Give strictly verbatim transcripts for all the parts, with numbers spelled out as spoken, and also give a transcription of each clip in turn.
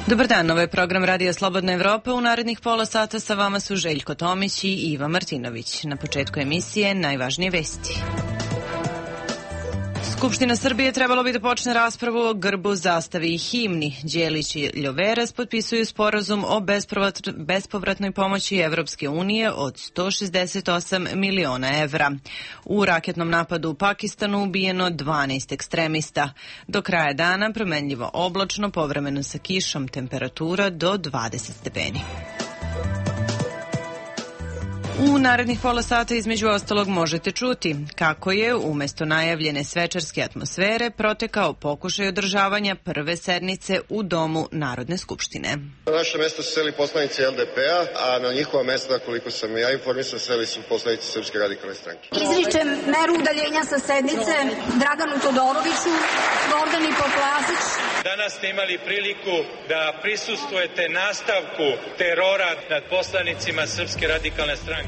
Dobar dan, ovo je program Radija Slobodna Evropa. U narednih pola sata sa vama su Željko Tomić i Iva Martinović. Na početku emisije najvažnije vesti. Skupština Srbije trebalo bi da počne raspravu o grbu, zastavi i himni. Đelić i Ljoveras potpisuju sporazum o bespovratnoj pomoći Evropske unije od sto šezdeset osam miliona evra. U raketnom napadu u Pakistanu ubijeno dvanaest ekstremista. Do kraja dana promenljivo oblačno, povremeno sa kišom, temperatura do dvadeset stepeni. U narednih pola sata između ostalog možete čuti kako je umesto najavljene svečarske atmosfere protekao pokušaj održavanja prve sednice u Domu Narodne skupštine. Na naše mesto su seli poslanici L D P-a, a na njihova mesta, koliko sam ja informisan, seli su poslanici Srpske radikalne stranke. Izričem meru udaljenja sa sednice Draganu Todoroviću, Gordani Poplasić. Danas ste imali priliku da prisustvujete nastavku terora nad poslanicima Srpske radikalne stranke.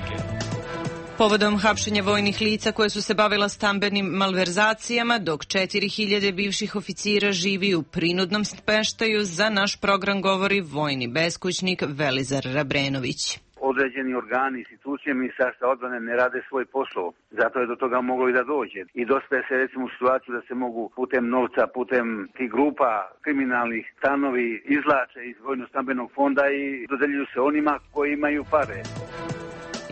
Povodom hapšenja vojnih lica koje su se bavila stambenim malverzacijama, dok četiri hiljade bivših oficira živi u prinudnom smeštaju, za naš program govori vojni beskućnik Velizar Rabrenović. Određeni organi, institucije Ministarstva odbrane ne rade svoj posao. Zato je do toga moglo i da dođe. I dosta se recimo u situaciju da se mogu putem novca, putem tih grupa kriminalnih stanovi izvlače iz vojno-stambenog fonda i dodeljuju se onima koji imaju pare.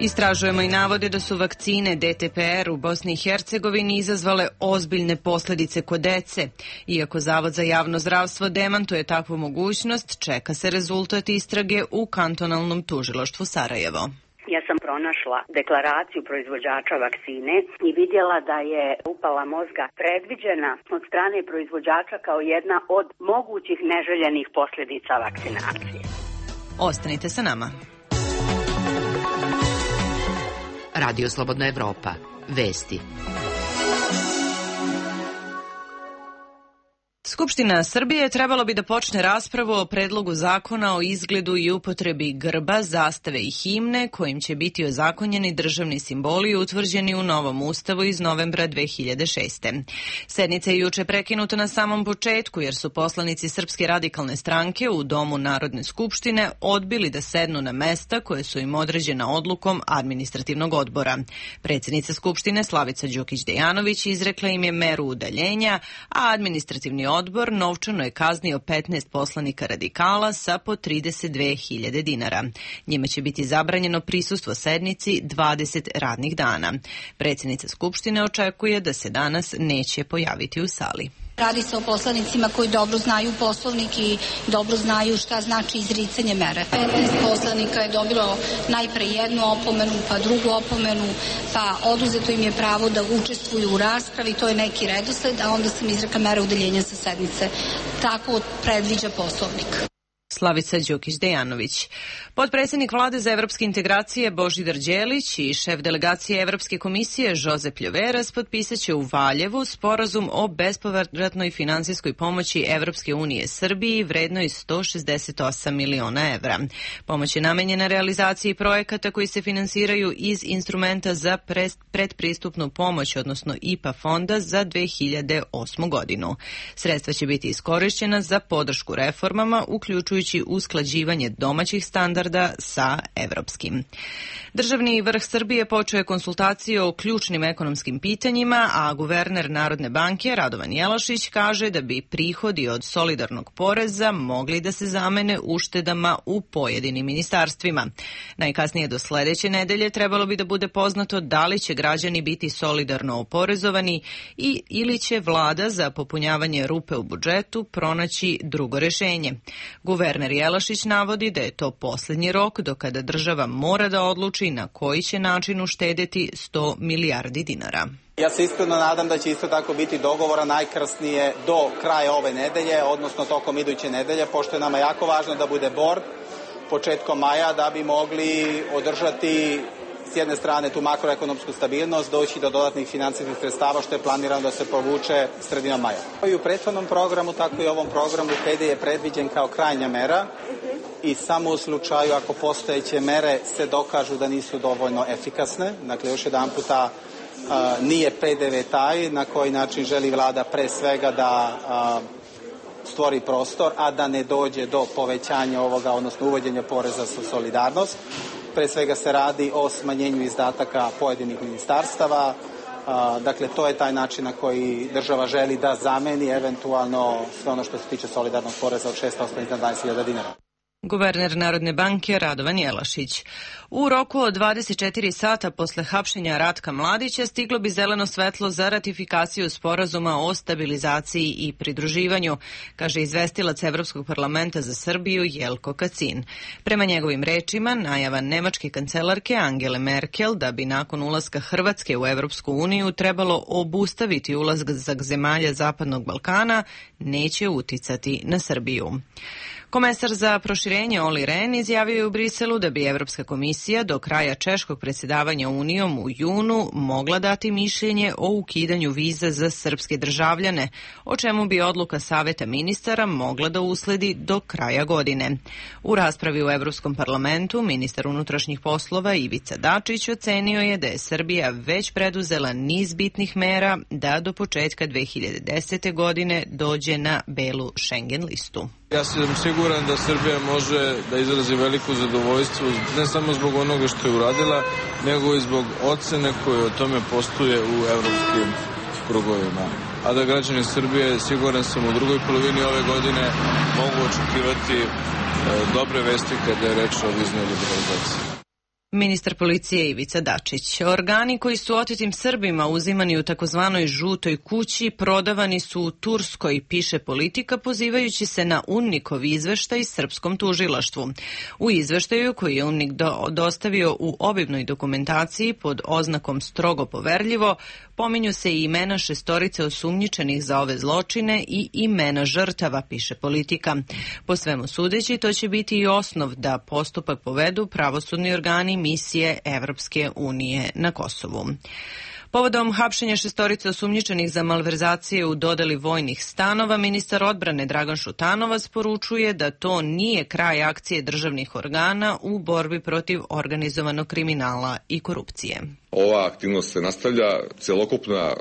Istražujemo i navode da su vakcine D T P R u Bosni i Hercegovini izazvale ozbiljne posledice kod dece. Iako Zavod za javno zdravstvo demantuje takvu mogućnost, čeka se rezultat istrage u kantonalnom tužilaštvu Sarajevo. Ja sam pronašla deklaraciju proizvođača vakcine i vidjela da je upala mozga predviđena od strane proizvođača kao jedna od mogućih neželjenih posljedica vakcinacije. Ostanite sa nama. Radio Slobodna Evropa. Vesti. Skupština Srbije trebalo bi da počne raspravu o predlogu zakona o izgledu i upotrebi grba, zastave i himne, kojim će biti ozakonjeni državni simboli utvrđeni u novom ustavu iz novembra dve hiljade šeste. Sednica je juče prekinuta na samom početku jer su poslanici Srpske radikalne stranke u Domu Narodne skupštine odbili da sednu na mesta koje su im određena odlukom administrativnog odbora. Predsjednica Skupštine Slavica Đukić-Dejanović izrekla im je meru udaljenja, a administrativni odbor Odbor novčano je kaznio petnaest poslanika radikala sa po trideset dve hiljade dinara. Njima će biti zabranjeno prisustvo sednici dvadeset radnih dana. Predsjednica Skupštine očekuje da se danas neće pojaviti u sali. Radi se o poslanicima koji dobro znaju Poslovnik i dobro znaju šta znači izricanje mere. petnaest poslanika je dobilo najpre jednu opomenu, pa drugu opomenu, pa oduzeto im je pravo da učestvuju u raspravi, to je neki redosled, a onda sam izrekla mere udaljenja sa sednice. Tako predviđa Poslovnik. Slavica Đukić-Dejanović. Potpredsjednik vlade za evropske integracije Božidar Đelić i šef delegacije Evropske komisije Josep Ljoveras potpisaće u Valjevu sporazum o bespovratnoj finansijskoj pomoći Evropske unije Srbiji vrednoj sto šezdeset osam miliona evra. Pomoć je namenjena realizaciji projekata koji se finansiraju iz instrumenta za predpristupnu pomoć, odnosno I P A fonda za dve hiljade osmu godinu. Sredstva će biti iskorišćena za podršku reformama, uključujući usklađivanje domaćih standarda sa evropskim. Državni vrh Srbije počeo je konsultacije o ključnim ekonomskim pitanjima, a guverner Narodne banke Radovan Jelašić kaže da bi prihodi od solidarnog poreza mogli da se zamene uštedama u pojedinim ministarstvima. Najkasnije do sledeće nedelje trebalo bi da bude poznato da li će građani biti solidarno oporezovani i ili će vlada za popunjavanje rupe u budžetu pronaći drugo rešenje. Guverner Jelašić navodi da je to posljednji rok do kada država mora da odluči na koji će način uštedeti sto milijardi dinara. Ja se iskreno nadam da će isto tako biti dogovora najkasnije do kraja ove nedelje, odnosno tokom iduće nedelje, pošto je nama jako važno da bude bord početkom maja da bi mogli održati s jedne strane tu makroekonomsku stabilnost, doći do dodatnih finansijskih sredstava što je planirano da se povuče sredinom maja. I u prethodnom programu, tako i u ovom programu P D je predviđen kao krajnja mera i samo u slučaju ako postojeće mere se dokažu da nisu dovoljno efikasne. Dakle, još jedan puta a, nije P D V taj na koji način želi vlada pre svega da a, stvori prostor, a da ne dođe do povećanja ovoga, odnosno uvođenja poreza za solidarnost. Pre svega se radi o smanjenju izdataka pojedinih ministarstava. Dakle, to je taj način na koji država želi da zameni eventualno sve ono što se tiče solidarnog poreza od šest posto iznad dvadeset hiljada dinara. Guverner Narodne banke Radovan Jelašić. U roku od dvadeset četiri sata posle hapšenja Ratka Mladića stiglo bi zeleno svetlo za ratifikaciju sporazuma o stabilizaciji i pridruživanju, kaže izvestilac Evropskog parlamenta za Srbiju Jelko Kacin. Prema njegovim rečima, najava nemačke kancelarke Angele Merkel da bi nakon ulaska Hrvatske u Evropsku uniju trebalo obustaviti ulazak zemalja Zapadnog Balkana neće uticati na Srbiju. Komesar za proširenje Olli Rehn izjavio je u Briselu da bi Evropska komisija do kraja češkog predsjedavanja Unijom u junu mogla dati mišljenje o ukidanju viza za srpske državljane, o čemu bi odluka Saveta ministara mogla da usledi do kraja godine. U raspravi u Evropskom parlamentu ministar unutrašnjih poslova Ivica Dačić ocenio je da je Srbija već preduzela niz bitnih mera da do početka dve hiljade desete. godine dođe na belu Schengen listu. Ja sam siguran da Srbija može da izrazi veliko zadovoljstvo ne samo zbog onoga što je uradila, nego i zbog ocene koje o tome postoje u evropskim krugovima. A da građani Srbije, siguran sam, u drugoj polovini ove godine mogu očekivati dobre vesti kada je reč o viznoj liberalizaciji. Ministar policije Ivica Dačić. Organi koji su otetim Srbima uzimani u takozvanoj žutoj kući prodavani su u Turskoj, piše Politika, pozivajući se na UNMIK-ov izveštaj srpskom tužilaštvu. U izveštaju koji je UNMIK do, dostavio u obimnoj dokumentaciji pod oznakom strogo poverljivo, pominju se i imena šestorice osumnjičenih za ove zločine i imena žrtava, piše Politika. Po svemu sudeći, to će biti i osnov da postupak povedu pravosudni organi misije Evropske unije na Kosovu. Povodom hapšenja šestorice osumnjičenih za malverzacije u dodeli vojnih stanova, ministar odbrane Dragan Šutanovac poručuje da to nije kraj akcije državnih organa u borbi protiv organizovanog kriminala i korupcije. Ova aktivnost se nastavlja, celokupna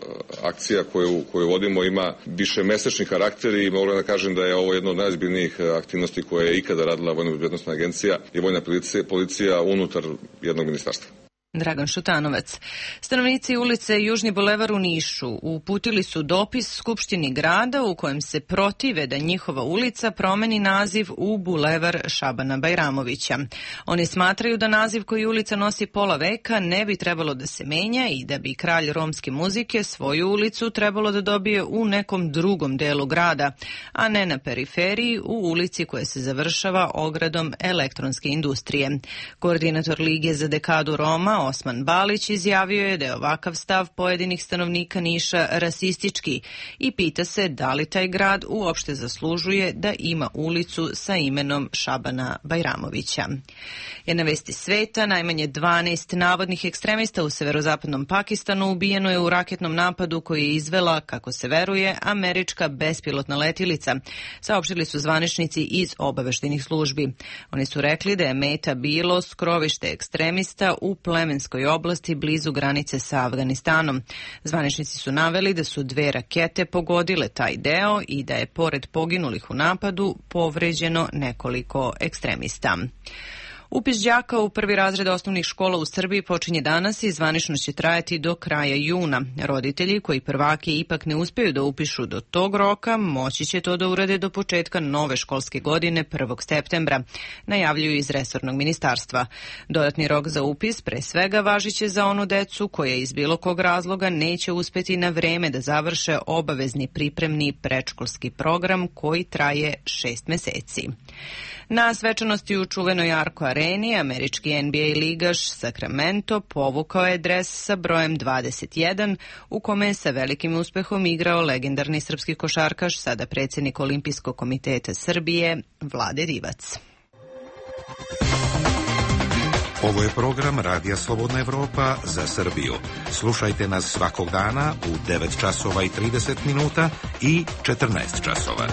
akcija koju, koju vodimo ima više mesečni karakter i mogu da kažem da je ovo jedna od najozbiljnijih aktivnosti koje je ikada radila Vojna bezbednosna agencija i Vojna policija, policija unutar jednog ministarstva. Dragan Šutanovac. Stanovnici ulice Južni bulevar u Nišu uputili su dopis Skupštini grada u kojem se protive da njihova ulica promeni naziv u bulevar Šabana Bajramovića. Oni smatraju da naziv koji ulica nosi pola veka ne bi trebalo da se menja i da bi kralj romske muzike svoju ulicu trebalo da dobije u nekom drugom delu grada, a ne na periferiji u ulici koja se završava ogradom elektronske industrije. Koordinator Lige za dekadu Roma Osman Balić izjavio je da je ovakav stav pojedinih stanovnika Niša rasistički i pita se da li taj grad uopšte zaslužuje da ima ulicu sa imenom Šabana Bajramovića. Jedna vesti sveta, najmanje dvanaest navodnih ekstremista u severozapadnom Pakistanu ubijeno je u raketnom napadu koji je izvela, kako se veruje, američka bespilotna letilica, saopštili su zvaničnici iz obaveštajnih službi. Oni su rekli da je meta bilo skrovište ekstremista u Plemenskoj oblasti blizu granice sa Afganistanom. Zvaničnici su naveli da su dve rakete pogodile taj deo i da je pored poginulih u napadu povređeno nekoliko ekstremista. Upis đaka u prvi razred osnovnih škola u Srbiji počinje danas i zvanično će trajati do kraja juna. Roditelji koji prvake ipak ne uspeju da upišu do tog roka, moći će to da urade do početka nove školske godine prvog septembra, najavljuju iz resornog ministarstva. Dodatni rok za upis pre svega važiće za onu decu koja iz bilo kog razloga neće uspeti na vreme da završe obavezni pripremni predškolski program koji traje šest meseci. Na svečanosti u čuvenoj Arco Areni, američki N B A ligaš Sacramento povukao je dres sa brojem dvadeset jedan, u kome je sa velikim uspehom igrao legendarni srpski košarkaš, sada predsjednik Olimpijskog komiteta Srbije, Vlade Divac. Ovo je program Radija Slobodna Evropa za Srbiju. Slušajte nas svakog dana u devet časova i trideset minuta i četrnaest časova.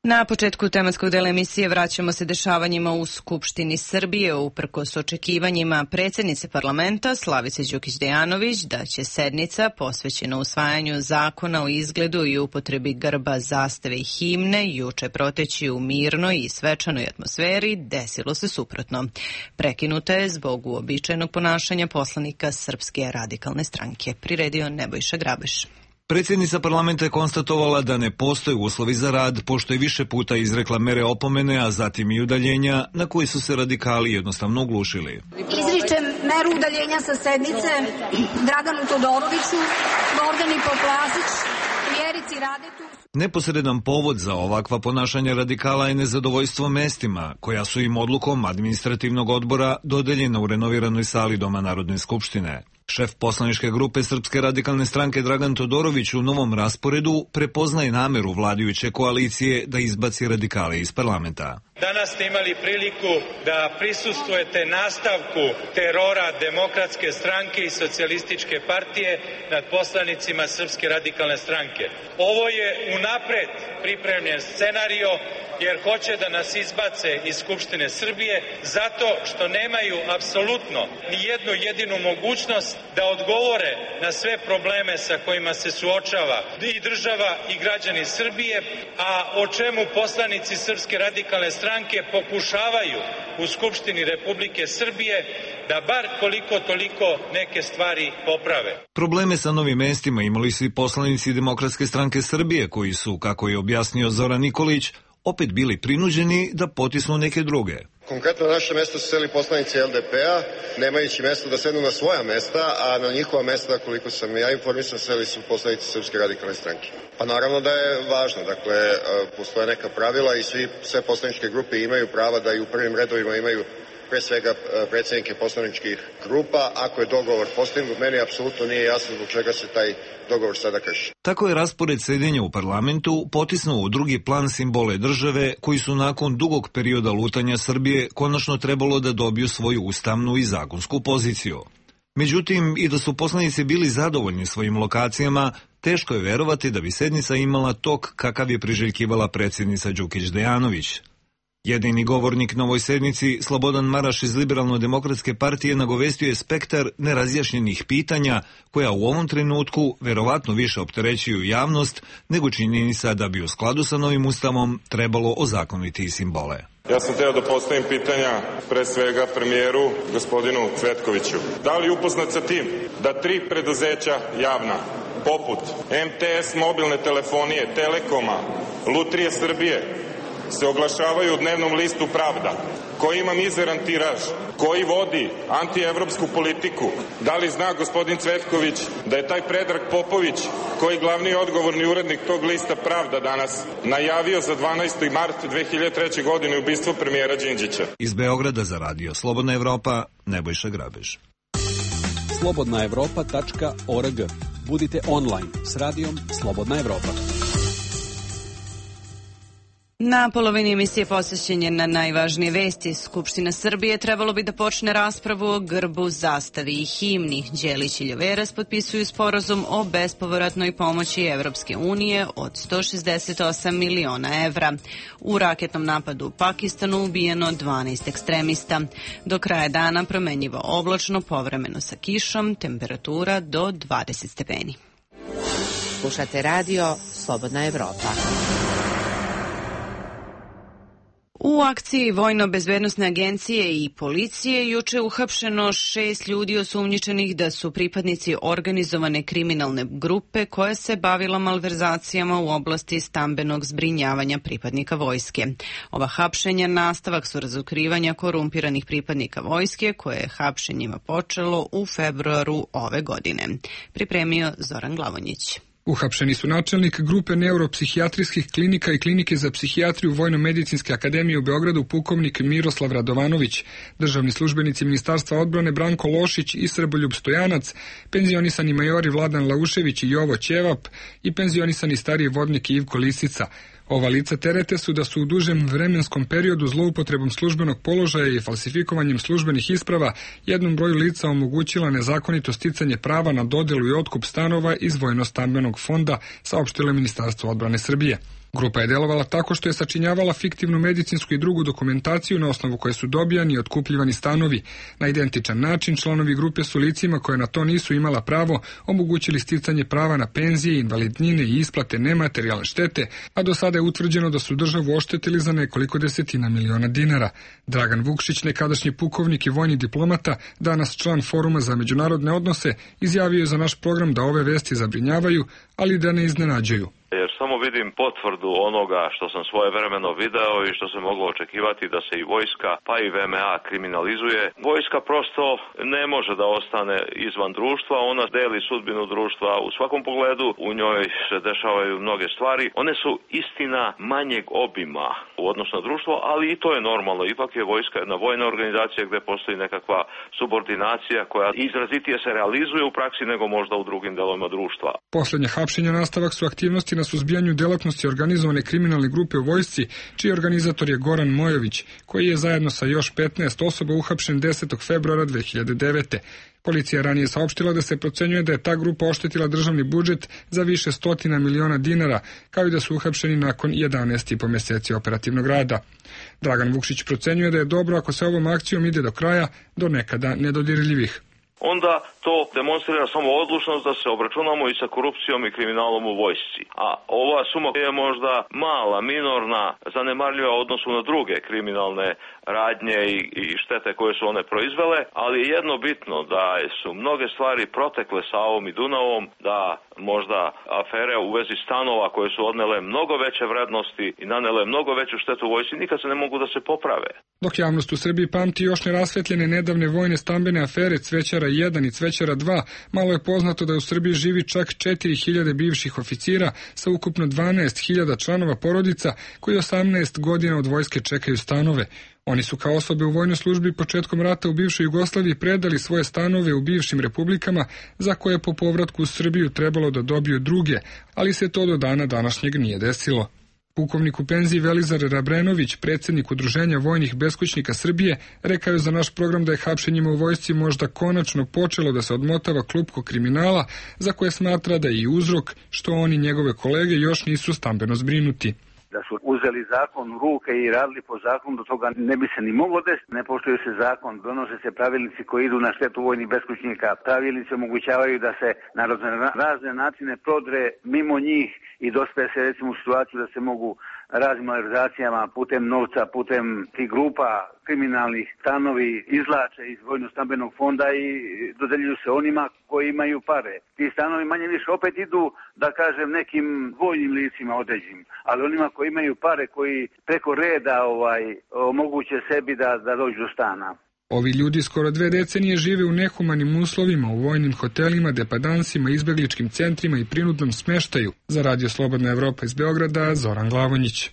Na početku tematskog dela emisije vraćamo se dešavanjima u Skupštini Srbije. Uprkos očekivanjima predsjednice parlamenta Slavice Đukić-Dejanović da će sednica posvećena usvajanju zakona o izgledu i upotrebi grba, zastave i himne juče proteći u mirnoj i svečanoj atmosferi, desilo se suprotno. Prekinuta je zbog uobičajenog ponašanja poslanika Srpske radikalne stranke. Priredio Nebojša Grabeš. Predsjednica parlamenta je konstatovala da ne postoje uslovi za rad, pošto je više puta izrekla mere opomene, a zatim i udaljenja, na koji su se radikali jednostavno oglušili. Izričem meru udaljenja sa sednice Draganu Todoroviću, Gordani Poplasić, Vjerici Radetu. Neposredan povod za ovakva ponašanja radikala je nezadovoljstvo mestima, koja su im odlukom administrativnog odbora dodeljena u renoviranoj sali Doma Narodne skupštine. Šef poslaničke grupe Srpske radikalne stranke Dragan Todorović u novom rasporedu prepoznaje nameru vladajuće koalicije da izbaci radikale iz parlamenta. Danas ste imali priliku da prisustvujete nastavku terora Demokratske stranke i Socijalističke partije nad poslanicima Srpske radikalne stranke. Ovo je unapred pripremljen scenario jer hoće da nas izbace iz Skupštine Srbije zato što nemaju apsolutno ni jednu jedinu mogućnost da odgovore na sve probleme sa kojima se suočava i država i građani Srbije, a o čemu poslanici Srpske radikalne stranke pokušavaju u Skupštini Republike Srbije da bar koliko toliko neke stvari poprave. Probleme sa novim mestima imali su i poslanici Demokratske stranke Srbije koji su, kako je objasnio Zoran Nikolić, opet bili prinuđeni da potisnu neke druge. Konkretno na naše mesto su seli poslanici L D P-a, nemajući mesto da sednu na svoja mesta, a na njihova mesta, koliko sam ja informisan, seli su poslanici Srpske radikalne stranke. Pa naravno da je važno, dakle, postoje neka pravila i svi, sve poslaničke grupe imaju prava da i u prvim redovima imaju pre svega predsjednike poslaničkih grupa. Ako je dogovor postignut, meni apsolutno nije jasno zbog čega se taj dogovor sada krši. Tako je raspored sedenja u parlamentu potisnuo u drugi plan simbole države koji su nakon dugog perioda lutanja Srbije konačno trebalo da dobiju svoju ustavnu i zakonsku poziciju. Međutim, i da su poslanici bili zadovoljni svojim lokacijama, teško je verovati da bi sednica imala tok kakav je priželjkivala predsjednica Đukić-Dejanović. Jedini govornik na ovoj sednici, Slobodan Maraš iz Liberalno-demokratske partije, nagovestio je spektar nerazjašnjenih pitanja koja u ovom trenutku verovatno više opterećuju javnost nego činjenica da bi u skladu sa novim ustavom trebalo ozakoniti simbole. Ja sam teo da postavim pitanja pre svega premijeru gospodinu Cvetkoviću. Da li upoznat sa tim da tri preduzeća javna poput M T S mobilne telefonije, Telekoma, Lutrije Srbije se oglašavaju u dnevnom listu Pravda, koji ima mizeran tiraž, koji vodi antievropsku politiku? Da li zna gospodin Cvetković da je taj Predrag Popović, koji glavni odgovorni urednik tog lista Pravda danas, najavio za dvanaesti mart dve hiljade treće. godine ubistvo premijera Đinđića? Iz Beograda za radio Slobodna Evropa, Nebojša Grabež. slobodna evropa tačka org. Budite online s radijom Slobodna Evropa. Na polovini emisije posvećen je na najvažnije vesti. Skupština Srbije trebalo bi da počne raspravu o grbu, zastavi i himni. Đelić i Ljoveras potpisuju sporazum o bespovratnoj pomoći Evropske unije od sto šezdeset osam miliona evra. U raketnom napadu u Pakistanu ubijeno dvanaest ekstremista. Do kraja dana promenljivo oblačno, povremeno sa kišom, temperatura do dvadeset stepeni. Slušate radio Slobodna Evropa. U akciji Vojno-bezbednosne agencije i policije juče uhapšeno šest ljudi osumnjičenih da su pripadnici organizovane kriminalne grupe koja se bavila malverzacijama u oblasti stambenog zbrinjavanja pripadnika vojske. Ova hapšenja nastavak su razotkrivanja korumpiranih pripadnika vojske koje je hapšenjima počelo u februaru ove godine. Pripremio Zoran Glavonjić. Uhapšeni su načelnik grupe neuropsihijatrijskih klinika i klinike za psihijatriju Vojno-medicinske akademije u Beogradu pukovnik Miroslav Radovanović, državni službenici Ministarstva odbrane Branko Lošić i Srboljub Stojanac, penzionisani majori Vladan Laušević i Jovo Ćevap i penzionisani stariji vodnik Ivko Lisica. Ova lica terete su da su u dužem vremenskom periodu zloupotrebom službenog položaja i falsifikovanjem službenih isprava jednom broju lica omogućila nezakonito sticanje prava na dodelu i otkup stanova iz Vojno-stambenog fonda, saopštilo je Ministarstvo odbrane Srbije. Grupa je delovala tako što je sačinjavala fiktivnu medicinsku i drugu dokumentaciju na osnovu koje su dobijani i otkupljivani stanovi. Na identičan način članovi grupe su licima koje na to nisu imala pravo omogućili sticanje prava na penzije, invalidnine i isplate nematerijalne štete, a do sada je utvrđeno da su državu oštetili za nekoliko desetina miliona dinara. Dragan Vukšić, nekadašnji pukovnik i vojni diplomata, danas član Foruma za međunarodne odnose, izjavio je za naš program da ove vesti zabrinjavaju, ali da ne iznenađuju. Jer samo vidim potvrdu onoga što sam svojevremeno video i što se moglo očekivati da se i vojska pa i V M A kriminalizuje. Vojska prosto ne može da ostane izvan društva, ona deli sudbinu društva u svakom pogledu, u njoj se dešavaju mnoge stvari. One su istina manjeg obima u odnosu na društvo, ali i to je normalno. Ipak je vojska jedna vojna organizacija gde postoji nekakva subordinacija koja izrazitije se realizuje u praksi nego možda u drugim delovima društva. Poslednje hapšenja nastavak su aktivnosti na suzbijanju delatnosti organizovane kriminalne grupe u vojsci, čiji organizator je Goran Mojović, koji je zajedno sa još petnaest osoba uhapšen desetog februara dve hiljade devete. Policija ranije saopštila da se procenjuje da je ta grupa oštetila državni budžet za više stotina miliona dinara, kao i da su uhapšeni nakon jedanaest i po meseci operativnog rada. Dragan Vukšić procenjuje da je dobro ako se ovom akcijom ide do kraja, do nekada nedodirljivih. Onda to demonstrira samo odlučnost da se obračunamo i sa korupcijom i kriminalom u vojsci. A ova suma je možda mala, minorna, zanemarljiva u odnosu na druge kriminalne radnje i, i štete koje su one proizvele, ali je jedno bitno da su mnoge stvari protekle Savom i Dunavom, da možda afere u vezi stanova koje su odnele mnogo veće vrednosti i nanele mnogo veću štetu u vojsci nikad se ne mogu da se poprave. Dok javnost u Srbiji pamti još nerasvetljene nedavne vojne stambene afere Cvećara jedan i Cvećara dva, malo je poznato da u Srbiji živi čak četiri hiljade bivših oficira sa ukupno dvanaest hiljada članova porodica koji osamnaest godina od vojske čekaju stanove. Oni su kao osobe u vojnoj službi početkom rata u bivšoj Jugoslaviji predali svoje stanove u bivšim republikama za koje po povratku u Srbiju trebalo da dobiju druge, ali se to do dana današnjeg nije desilo. Pukovnik u penziji Velizar Rabrenović, predsjednik Udruženja vojnih beskućnika Srbije, rekao je za naš program da je hapšenjima u vojsci možda konačno počelo da se odmotava klupko kriminala, za koje smatra da je i uzrok što on i njegove kolege još nisu stambeno zbrinuti. Da su uzeli zakon u ruke i radili po zakonu, do toga ne bi se ni moglo desiti. Ne poštuje se zakon, donose se pravilnici koji idu na štetu vojnih beskućnika. Pravilnici omogućavaju da se na razne načine prodre mimo njih i dospe se recimo u situaciju da se mogu raznim malverzacijama putem novca, putem tih grupa kriminalnih stanovi izlače iz vojno-stambenog fonda i dodeljuju se onima koji imaju pare. Ti stanovi manje više opet idu, da kažem, nekim vojnim licima određenim, ali onima koji imaju pare, koji preko reda ovaj, omoguće sebi da, da dođu do stana. Ovi ljudi skoro dve decenije žive u nehumanim uslovima, u vojnim hotelima, depadansima, izbegličkim centrima i prinudnom smeštaju. Za Radio Slobodna Evropa iz Beograda, Zoran Glavonjić.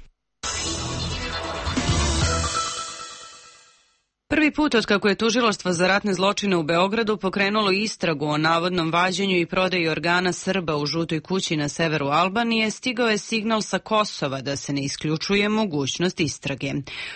Prvi put od kako je Tužilaštvo za ratne zločine u Beogradu pokrenulo istragu o navodnom vađenju i prodaji organa Srba u žutoj kući na severu Albanije, stigao je signal sa Kosova da se ne isključuje mogućnost istrage.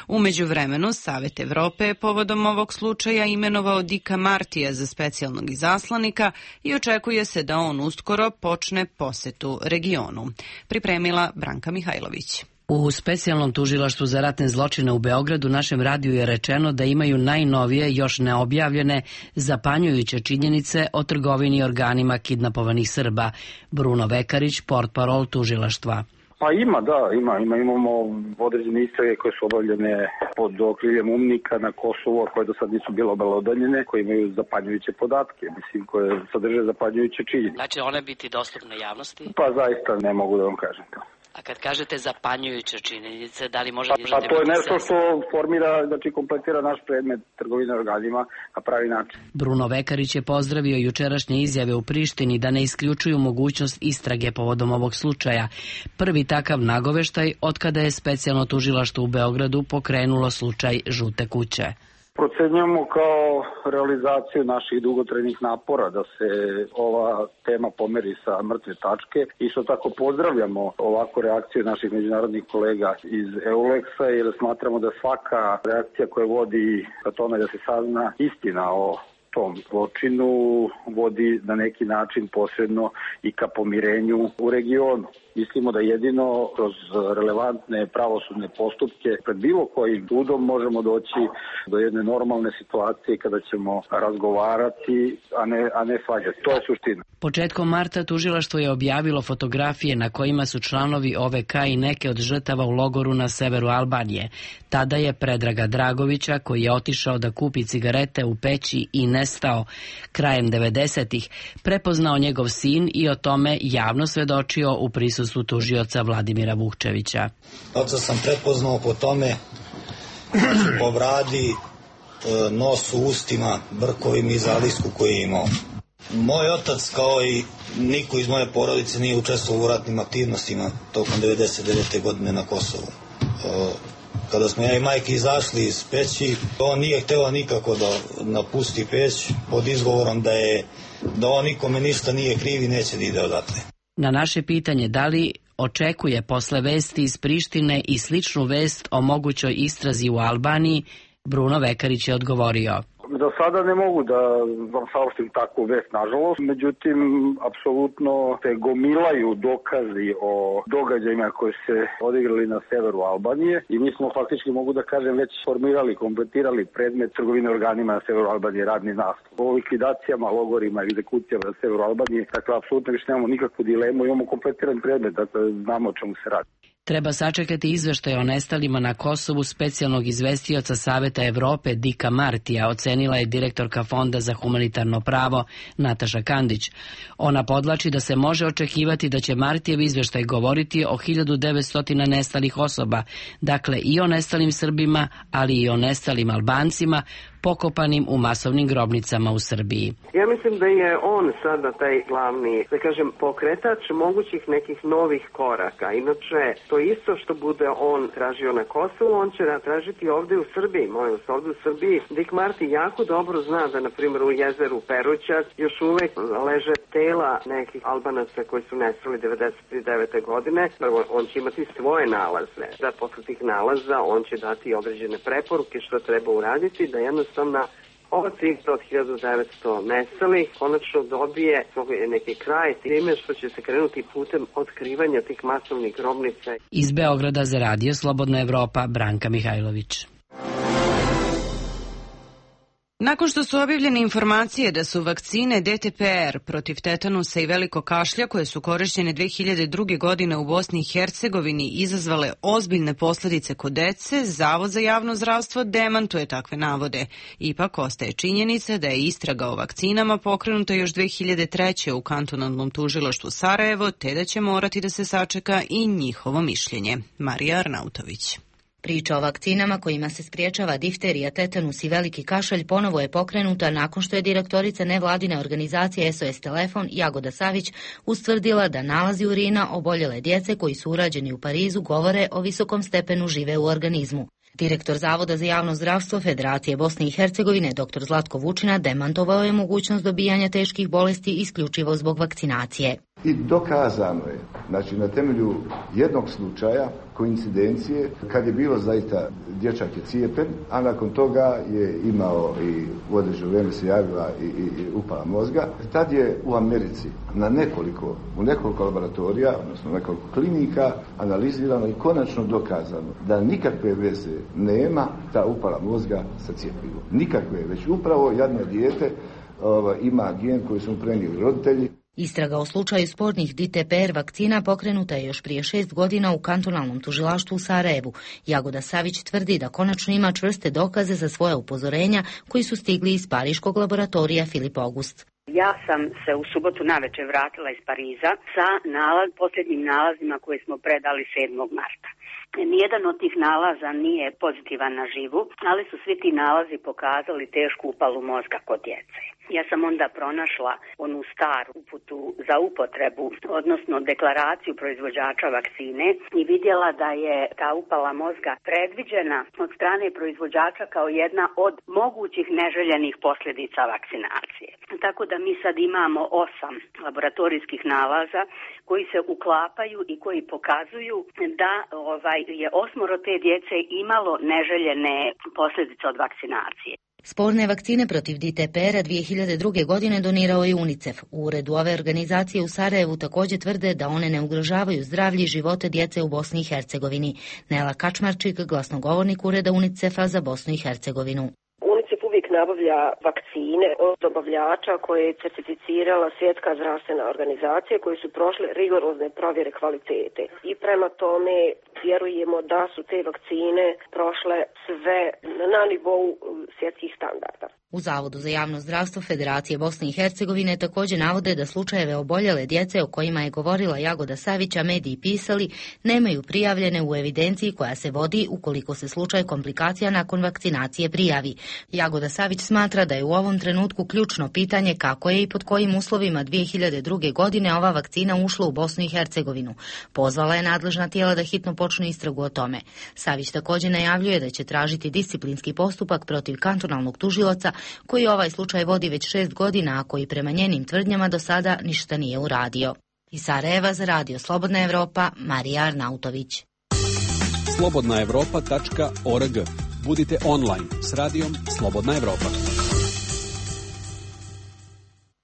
U međuvremenu, Savet Evrope je povodom ovog slučaja imenovao Dika Martija za specijalnog izaslanika i očekuje se da on uskoro počne posetu regionu. Pripremila Branka Mihajlović. U specijalnom tužilaštvu za ratne zločine u Beogradu našem radiju je rečeno da imaju najnovije, još neobjavljene, zapanjujuće činjenice o trgovini organima kidnapovanih Srba. Bruno Vekarić, portparol tužilaštva. Pa ima, da, ima. ima imamo određene istrage koje su obavljene pod okriljem umnika na Kosovu, a koje do sad nisu bile obelodanjene, koje imaju zapanjujuće podatke, mislim, koje sadrže zapanjujuće činjenice. Znači one biti dostupne javnosti? Pa zaista ne mogu da vam kažem to. A kad kažete zapanjujuće činjenice, da li može... Pa, pa to je nešto što formira, znači kompletira naš predmet trgovine organima na pravi način. Bruno Vekarić je pozdravio jučerašnje izjave u Prištini da ne isključuju mogućnost istrage povodom ovog slučaja. Prvi takav nagoveštaj otkada je specijalno tužilaštvo u Beogradu pokrenulo slučaj Žute kuće. Procenjujemo kao realizaciju naših dugotrajnih napora da se ova tema pomeri sa mrtve tačke. Isto tako pozdravljamo ovakvu reakciju naših međunarodnih kolega iz EULEX-a jer smatramo da svaka reakcija koja vodi ka tome da se sazna istina o tom zločinu vodi na neki način posredno i ka pomirenju u regionu. Mislimo da jedino kroz relevantne pravosudne postupke pred bilo kojim sudom možemo doći do jedne normalne situacije kada ćemo razgovarati, a ne, a ne svađati. To je suština. Početkom marta tužilaštvo je objavilo fotografije na kojima su članovi O V K i neke od žrtava u logoru na severu Albanije. Tada je Predraga Dragovića, koji je otišao da kupi cigarete u Peći i nestao krajem devedesetih, prepoznao njegov sin i o tome javno svedočio u prisustvu tužioca Vladimira Vukčevića. Oca sam prepoznao po tome, znači po bradi, nosu, ustima, brkovima i zalisku koji je imao. Moj otac, kao i niko iz moje porodice, nije učestvovao u ratnim aktivnostima tokom devedeset devete godine na Kosovu. Kada smo ja i majke izašli iz Peći, on nije hteo nikako da napusti Peć pod izgovorom da je da on nikome ništa nije kriv i neće da ide odatle. Na naše pitanje da li očekuje posle vesti iz Prištine i sličnu vest o mogućoj istrazi u Albaniji, Bruno Vekarić je odgovorio: Za sada ne mogu da vam saopštim takvu vest, nažalost. Međutim, apsolutno se gomilaju dokazi o događajima koji se odigrali na severu Albanije i mi smo faktički, mogu da kažem, već formirali, kompletirali predmet trgovine organima na severu Albanije, radni nastup. O likvidacijama, logorima i egzekucijama na severu Albanije, dakle, apsolutno više nemamo nikakvu dilemu, imamo kompletiran predmet, dakle, znamo o čemu se radi. Treba sačekati izveštaj o nestalima na Kosovu specijalnog izvestioca Saveta Evrope Dika Martija, ocenila je direktorka Fonda za humanitarno pravo Nataša Kandić. Ona podlači da se može očekivati da će Martijev izveštaj govoriti o hiljadu devetsto nestalih osoba, dakle i o nestalim Srbima, ali i o nestalim Albancima, pokopanim u masovnim grobnicama u Srbiji. Ja mislim da je on sada taj glavni, da kažem, pokretač mogućih nekih novih koraka. Inače, to isto što bude on tražio na Kosovu, on će tražiti ovde u Srbiji. Molim se, ovde u Srbiji Dik Marti jako dobro zna da, na primjer, u jezeru Perućac još uvek leže tela nekih Albanaca koji su nestali devedeset devete godine. Prvo, on će imati svoje nalaze. Da posle tih nalaza on će dati određene preporuke što treba uraditi, da jednostavno ova cifra od hiljadu devetsto nestalih konačno dobije neki kraj time što će se krenuti putem otkrivanja tih masovnih grobnica. Iz Beograda za Radio Slobodna Evropa, Branka Mihajlović. Nakon što su objavljene informacije da su vakcine D T P R protiv tetanusa i velikog kašlja koje su korišćene dve hiljade druge. godine u Bosni i Hercegovini izazvale ozbiljne posledice kod dece, Zavod za javno zdravstvo demantuje takve navode. Ipak ostaje činjenica da je istraga o vakcinama pokrenuta još dve hiljade treće. u kantonalnom tužilaštvu Sarajevo, te da će morati da se sačeka i njihovo mišljenje. Marija Arnautović. Priča o vakcinama kojima se spriječava difterija, tetanus i veliki kašalj ponovo je pokrenuta nakon što je direktorica nevladine organizacije S O S Telefon Jagoda Savić ustvrdila da nalazi urina oboljele djece koji su urađeni u Parizu govore o visokom stepenu žive u organizmu. Direktor Zavoda za javno zdravstvo Federacije Bosne i Hercegovine dr Zlatko Vučina demantovao je mogućnost dobijanja teških bolesti isključivo zbog vakcinacije. I dokazano je, znači na temelju jednog slučaja, koincidencije, kad je bilo zaista dječak je cijepen, a nakon toga je imao i u određeno vrijeme se javila i, i, i upala mozga. Tad je u Americi na nekoliko, u nekoliko laboratorija, odnosno nekoliko klinika, analizirano i konačno dokazano da nikakve veze nema ta upala mozga sa cijepivom. Nikakve, već upravo jedno dijete ova, ima gen koji su mu prenijeli roditelji. Istraga o slučaju spornih D T P R vakcina pokrenuta je još prije šest godina u kantonalnom tužilaštvu u Sarajevu. Jagoda Savić tvrdi da konačno ima čvrste dokaze za svoja upozorenja koji su stigli iz pariškog laboratorija Filip August. Ja sam se u subotu navečer vratila iz Pariza sa nalaz, posljednjim nalazima koje smo predali sedmog marta. Nijedan od tih nalaza nije pozitivan na živu, ali su svi ti nalazi pokazali tešku upalu mozga kod djece. Ja sam onda pronašla onu staru uputu za upotrebu, odnosno deklaraciju proizvođača vakcine i vidjela da je ta upala mozga predviđena od strane proizvođača kao jedna od mogućih neželjenih posljedica vakcinacije. Tako da mi sad imamo osam laboratorijskih nalaza koji se uklapaju i koji pokazuju da ovaj je osmoro te djece imalo neželjene posljedice od vakcinacije. Sporne vakcine protiv D T P R-a dvije hiljade druge. godine donirao je UNICEF. U uredu ove organizacije u Sarajevu također tvrde da one ne ugrožavaju zdravlje i živote djece u Bosni i Hercegovini. Nela Kačmarčik, glasnogovornik ureda UNICEF-a za Bosnu i Hercegovinu. Uvijek nabavlja vakcine od dobavljača koje je certificirala Svjetska zdravstvena organizacija, koji su prošle rigorozne provjere kvalitete. I prema tome vjerujemo da su te vakcine prošle sve na nivou svjetskih standarda. U Zavodu za javno zdravstvo Federacije Bosne i Hercegovine također navode da slučajeve oboljele djece o kojima je govorila Jagoda Savić, a mediji pisali, nemaju prijavljene u evidenciji koja se vodi ukoliko se slučaj komplikacija nakon vakcinacije prijavi. Jagoda Savić smatra da je u ovom trenutku ključno pitanje kako je i pod kojim uslovima dvije hiljade druge. godine ova vakcina ušla u Bosnu i Hercegovinu. Pozvala je nadležna tijela da hitno počnu istragu o tome. Savić također najavljuje da će tražiti disciplinski postupak protiv kantonalnog tužioca koji ovaj slučaj vodi već šest godina, a koji prema njenim tvrdnjama do sada ništa nije uradio. Iz Sarajeva za radio Slobodna Evropa, Marija Arnautović. slobodna evropa tačka org. Budite online s radijom Slobodna Evropa.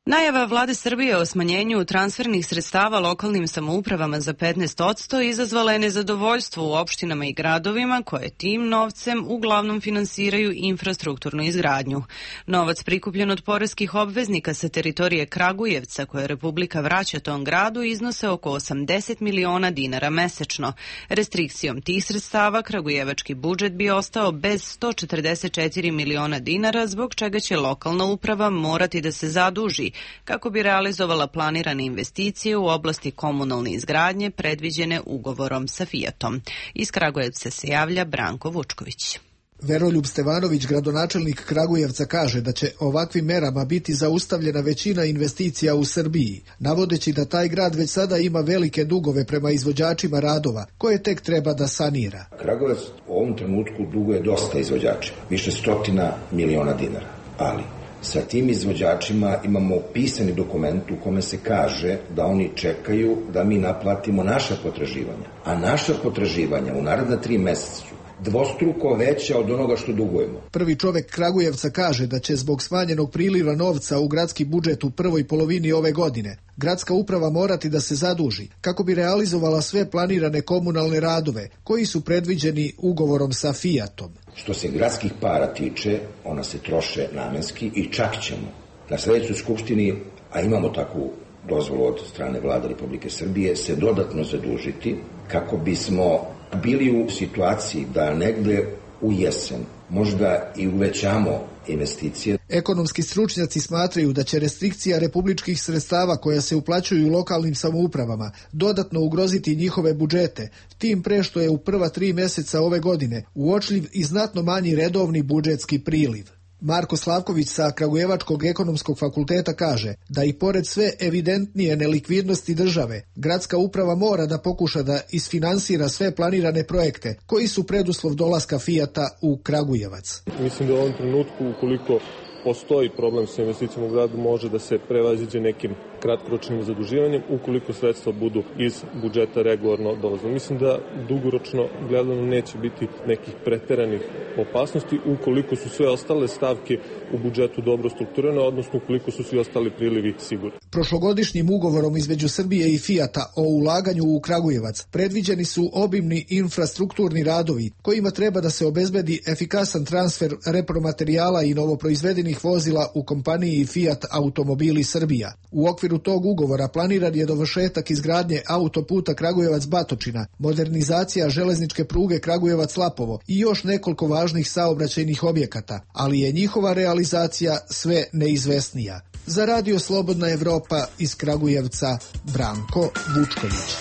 Najava vlade Srbije o smanjenju transfernih sredstava lokalnim samoupravama za petnaest posto izazvala je nezadovoljstvo u opštinama i gradovima koje tim novcem uglavnom finansiraju infrastrukturnu izgradnju. Novac prikupljen od poreskih obveznika sa teritorije Kragujevca koje Republika vraća tom gradu iznose oko osamdeset miliona dinara mesečno. Restrikcijom tih sredstava kragujevački budžet bi ostao bez sto četrdeset četiri miliona dinara, zbog čega će lokalna uprava morati da se zaduži kako bi realizovala planirane investicije u oblasti komunalne izgradnje predviđene ugovorom sa Fijatom. Iz Kragujevca se javlja Branko Vučković. Veroljub Stevanović, gradonačelnik Kragujevca, kaže da će ovakvim merama biti zaustavljena većina investicija u Srbiji, navodeći da taj grad već sada ima velike dugove prema izvođačima radova, koje tek treba da sanira. Kragujevac u ovom trenutku duguje dosta izvođačima, više stotina miliona dinara, ali sa tim izvođačima imamo pisani dokument u kome se kaže da oni čekaju da mi naplatimo naša potraživanja, a naša potraživanja u naredna tri meseca dvostruko veća od onoga što dugujemo. Prvi čovek Kragujevca kaže da će zbog smanjenog priliva novca u gradski budžet u prvoj polovini ove godine gradska uprava morati da se zaduži kako bi realizovala sve planirane komunalne radove koji su predviđeni ugovorom sa Fijatom. Što se gradskih para tiče, ona se troše namenski i čak ćemo na sledećoj skupštini, a imamo takvu dozvolu od strane vlade Republike Srbije, se dodatno zadužiti kako bismo bili u situaciji da negde u jesen možda i uvećamo investicije. Ekonomski stručnjaci smatraju da će restrikcija republičkih sredstava koja se uplaćuju lokalnim samoupravama dodatno ugroziti njihove budžete, tim pre što je u prva tri meseca ove godine uočljiv i znatno manji redovni budžetski priliv. Marko Slavković sa Kragujevačkog ekonomskog fakulteta kaže da i pored sve evidentnije nelikvidnosti države, gradska uprava mora da pokuša da isfinansira sve planirane projekte koji su preduslov dolaska Fijata u Kragujevac. Mislim da u ovom trenutku, ukoliko postoji problem sa investicijom u gradu, može da se prevaziđe nekim kratkoročnim zaduživanjem ukoliko sredstva budu iz budžeta regularno dolazne. Mislim da dugoročno gledano neće biti nekih preteranih opasnosti ukoliko su sve ostale stavke u budžetu dobro strukturirane, odnosno ukoliko su svi ostali prilivi sigurni. Prošlogodišnjim ugovorom između Srbije i Fijata o ulaganju u Kragujevac predviđeni su obimni infrastrukturni radovi kojima treba da se obezbedi efikasan transfer repromaterijala i novoproizvedenih vozila u kompaniji Fiat Automobili Srbija. U okviru tog ugovora planiran je dovršetak izgradnje autoputa Kragujevac-Batočina, modernizacija železničke pruge Kragujevac-Lapovo i još nekoliko važnih saobraćajnih objekata, ali je njihova realizacija sve neizvesnija. Za radio Slobodna Evropa iz Kragujevca, Branko Vučković.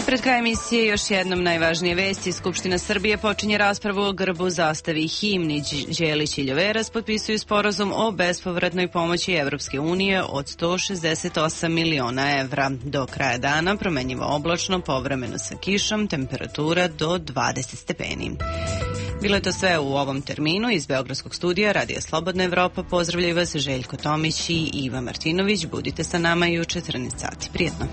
Pred kraj emisije još jednom najvažnije vesti. Skupština Srbije počinje raspravu o grbu, zastavi i himni. Đelić i Ljoveras potpisuju sporazum o bespovratnoj pomoći Evropske unije od sto šezdeset osam miliona evra. Do kraja dana promenjivo oblačno, povremeno sa kišom, temperatura do dvadeset stepeni. Bilo je to sve u ovom terminu. Iz Beogradskog studija Radija Slobodna Evropa pozdravljaju vas Željko Tomić i Iva Martinović. Budite sa nama i u četrnaest sati. Prijetno.